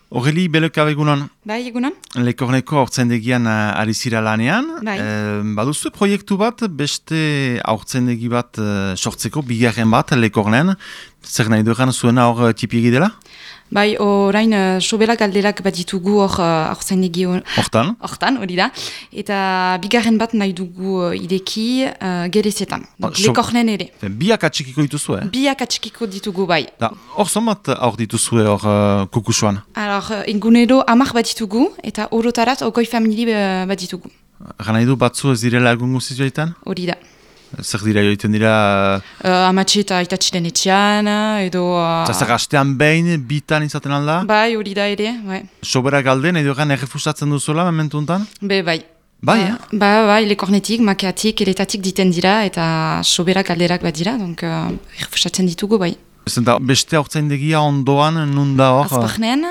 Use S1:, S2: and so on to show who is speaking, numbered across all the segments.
S1: Horreli, beleka egunon.
S2: Bai, egunon?
S1: Lekorneko haurtzaindegian ari zira lanean.
S2: Bai.
S1: Baduzu proiektu bat, beste haurtzaindegi bat sortzeko, bigarren bat, Lekornen. Zer nahi dueran zuena hor tipiegi dela?
S2: Bai, orain sobera galderak bat ditugu hor haurtzaindegi
S1: Hortan?
S2: hortan, hori da. Eta bigarren bat nahi dugu ideki gerezetan. Lekornen ere.
S1: Biak atxikiko dituzu,
S2: Biak atxikiko ditugu, bai.
S1: Hor zonbat haur dituzue hor kukusuan?
S2: Alors, egunero 10 bat ditugu, eta orotarat 20 famili bat ditugu.
S1: Gana du batzu ez direla egun guziz joitan?
S2: Hori da.
S1: Zer dira joiten dira?
S2: Amatxe eta aitatxiren etxean, edo...
S1: Zer astean behin, bitan izaten alda?
S2: Bai, hori da ere, bai.
S1: Sobera galden, edo egan errefusatzen duzuela, momentu untan?
S2: Bai.
S1: Bai,
S2: Bai, Lekornetik, makeatik, eletatik diten dira, eta sobera galderak bat dira, donc errefusatzen ditugu, bai.
S1: Zenta beste haurtzaindegia ondoan, nun da hor?
S2: Azparnen,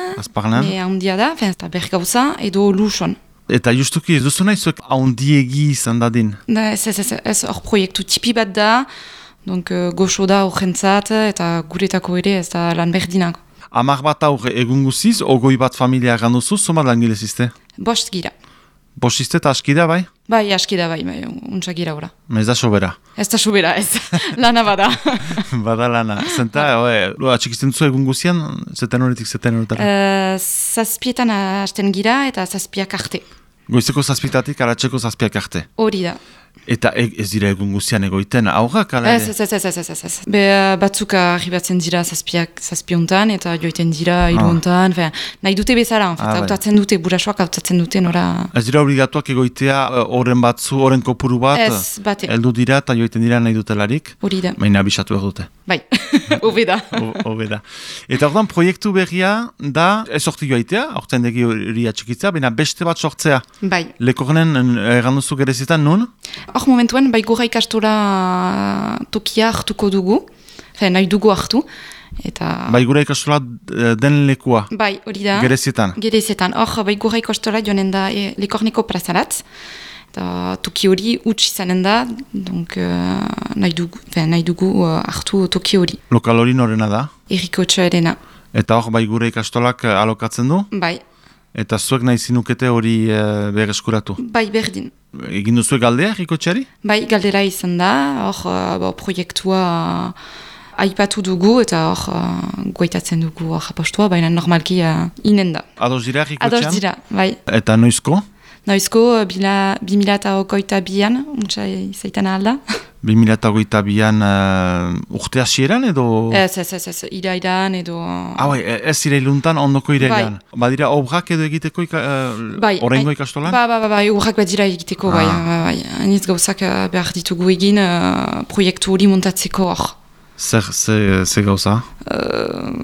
S2: handia da, eta bergauza, edo luson.
S1: Eta justuki ez duzu nahi zuek haundiegi izan dadin?
S2: Ez hor proiektu tipi bat da, donc goxo da horrentzat, eta guretako ere ez da lan berdinak.
S1: 10 bat aur egun guziz, 20 bat familia ganduzu, zomat langile ziste?
S2: Bost gira.
S1: Bost ziste eta aski da, bai?
S2: Bai, aski da, bai, untsa gira ora.
S1: Ez da sobera? Ez
S2: da sobera, ez. Lana bada.
S1: Bada lana. Zenta, atxikizten zu egun guzian, zeten horretik, zeten horretara?
S2: Zazpietan hasten gira eta zazpiak arte.
S1: Goizeko zazpietatik, aratzeko zazpiak arte?
S2: Hori da.
S1: Eta ez dira egun guzian egoiten, aurrak, ala ere?
S2: Ez. Batzuk arribatzen dira zazpiontan eta joiten dira hiruontan, nahi dute bezala, hautatzen dute, burasoak hautatzen dute, nora...
S1: Ez dira obligatuak egoitea, horren kopuru bat,
S2: ez, bate.
S1: Heldu dira eta joiten dira nahi dutelarik?
S2: Hori da.
S1: Baina abisatu behar dute.
S2: Bai, hobe da.
S1: Eta ordan proiektu berria da, ez sorti joaitea, haurtzaindegi hori atxikitzea, baina beste bat sortzea.
S2: Bai.
S1: Lekornen erranduzu gerezetan nun?
S2: Hor momentuen, bai gora ikastora tokia hartuko dugu, nahi dugu hartu. Eta...
S1: Bai gora ikastola den lekua?
S2: Bai, hori da.
S1: Gerezetan?
S2: Gerezetan. Hor, bai gora ikastora joanen da Lekorneko plazarat. Eta toki hori utx izanen da, donc nahi dugu hartu toki hori.
S1: Lokal hori norena da?
S2: Eriko Txoerena.
S1: Eta hor, bai gure ikastolak alokatzen du?
S2: Bai.
S1: Eta zuek nahi zinukete hori berreskuratu?
S2: Bai, berdin.
S1: Egin duzuek galdea, Eriko Txari?
S2: Bai, galdera izan da, hor proiektua aipatu dugu eta hor goitatzen dugu apostua, baina normalki inen da.
S1: Ados dira, Eriko Txan?
S2: Ados dira, bai.
S1: Eta noizko?
S2: Noizko, 2022an, untsa izaiten alda.
S1: 2022an urte hasieran edo?
S2: Ez, irairan edo...
S1: Bai, ez irailuntan, ondoko irailan. Bai. Badira obrak edo egiteko horrengo ikastolan?
S2: Bai, obrak badira egiteko, bai. Hainitz gauzak behar ditugu egin proiektu hori montatzeko hor.
S1: Zer gauza?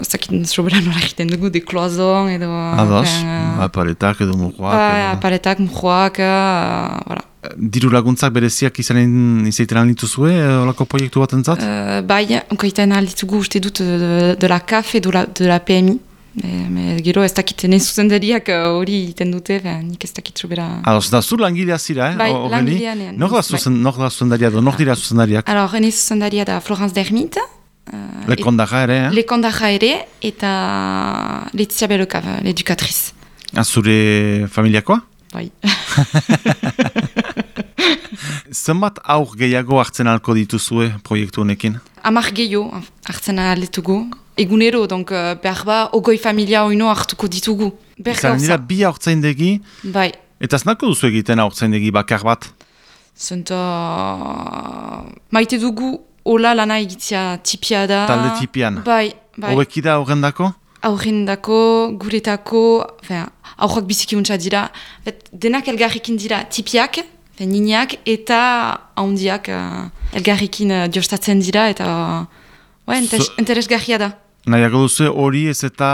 S2: Zakin sobera nola egiten dugu, de kloazon edo...
S1: Ados, apaletak edo murroak.
S2: Apaletak, murroak, voilà.
S1: Diru laguntzak bereziak izaiten aldituzue, olako proiektu bat entzat?
S2: Bai, onkoitan alditugu uste dut de la CAF edo de la PMI. Gero ez dakit zuzendariak hori iten dute, nik ez dakit sobera...
S1: Ados, da zu langilea zira,
S2: Bai, langilean.
S1: Nor da zuzendaria edo, nor dira zuzendariak?
S2: Alors, hene zuzendaria da Florence Dermit.
S1: Lekondaja ere,
S2: Lekondaja ere, eta Letizia Beloka, l'educatriz.
S1: Zure familiakoa?
S2: Bai.
S1: Zenbat aur gehiago hartzen alko dituzue proiektu honekin?
S2: 10 gehiago hartzen aletugu. Egunero, donc behar ba, 20 familia oino hartuko ditugu.
S1: Izan dira bi haurtzaindegi,
S2: bai.
S1: Eta znako duzu egiten haurtzaindegi bakar bat?
S2: Zenta... Maite dugu, hola lana egitzia tipia da.
S1: Talde tipian?
S2: Bai.
S1: Hobeki da aurrendako?
S2: Aurrendako, guretako, aurrak biziki untsa dira. Denak elgarrekin dira tipiak, nineak, eta handiak elgarrekin diostatzen dira, eta interesgarria da.
S1: Nahiago duzu hori ez eta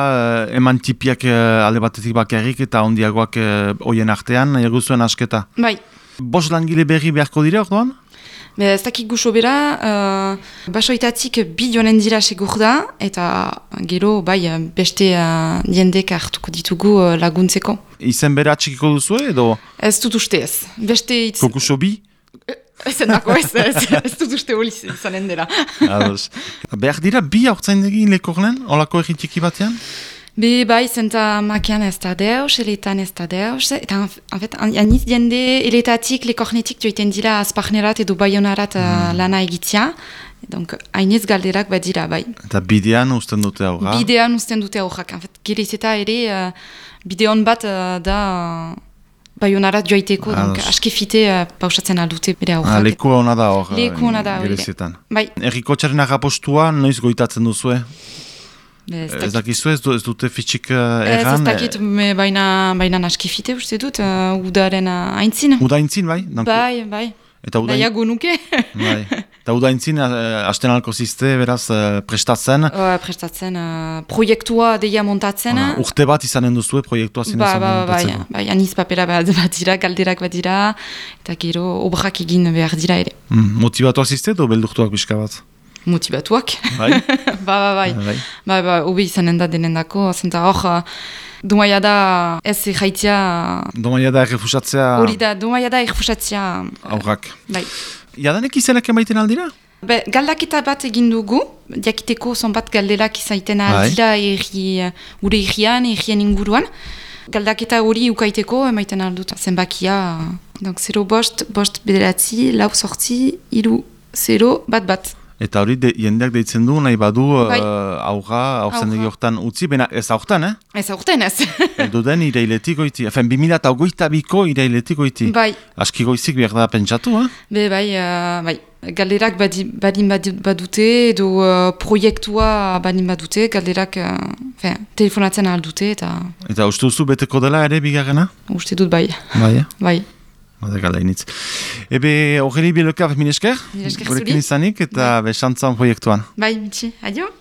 S1: eman tipiak alde batetik bakarrik eta handiagoak hoien artean, nahiago zuen asketa.
S2: Bai.
S1: Bost langile berri beharko dira orduan?
S2: Ez dakik guxo bera, basoitatik bi joanen dira segur da, eta gero bai beste jendek hartuko ditugu laguntzeko.
S1: Izen bera txikiko duzu edo?
S2: Ez dut uste ez. Beste itz...
S1: Kokuso bi?
S2: Zenako ez dut uste hori izanen dela.
S1: Behar dira bi haurtzaindegi Lekornen, olako egin txiki batean?
S2: Bai, zenta makian ez da deus, eletan ez da deus, eta en fait, aniz jende eletatik, lekornetik joiten dira azparnerat edo baionarat lana egitzia, donc hainez galderak badira, bai.
S1: Eta bidean usten dute aurra?
S2: Bidean usten dute aurrak, en fait, gerez eta ere bideon bat da baionarat joiteko, donc askefite pausatzen aldute bere aurrak.
S1: Leku hona da hor,
S2: hori.
S1: gerezetan.
S2: Bai.
S1: Errikotxaren agapostua noiz goitatzen duzue? Ez dakizu ez dute fitxik erran?
S2: Ez dakit, baina askefite uste dut, udaren aintzin.
S1: Uda aintzin, bai?
S2: Bai.
S1: Eta
S2: Daiago nuke.
S1: Bai. Eta uda aintzin, hasten alko ziste, beraz, prestatzen?
S2: Prestatzen, proiektua deia montatzen.
S1: Urte bat izanen duzue proiektua zinezen montatzeko?
S2: Bai, aniz papera bat dira, galderak bat dira, eta gero obrak egin behar dira ere.
S1: Motibatuak ziste edo beldurtuak pixka bat?
S2: Motibatuak.
S1: Bai?
S2: Bai, hobi izanen da denendako, zenta hor, Domaia da ez jaitzia...
S1: Domaia da errefusatzea...
S2: Hori da, domaia da errefusatzea...
S1: Aurrak.
S2: Bai.
S1: Jadanek izenak emaiten aldira?
S2: Galdaketa bat egin dugu, diakiteko zonbat galdelak izaiten aldira gure errien inguruan. Galdaketa hori ukaiteko emaiten aldut zenbakia. Donc 0 bost bederatzi, 4 sortzi, 3 0 bat.
S1: Eta hori jendeak deitzen du, nahi badu aurra, aurzen hortan utzi, bena ez aurten, eh?
S2: Ez aurten ez.
S1: Eldu den irailetik goiti, 2022ko irailetik goiti.
S2: Bai.
S1: Aski goizik behar da pentsatu, eh?
S2: Bai. Galderak badin badute, edo proiektua badin badute, galderak telefonatzen aldute, eta...
S1: Eta uste duzu beteko dela ere bigarrena?
S2: Uste dut bai.
S1: Bai. Bada galdainitz. Ebe, horreli bielokaf, minesker?
S2: Minesker zuri.
S1: Gurekin izanik eta besantzan proiektuan.
S2: Bai, mitxi. Adio.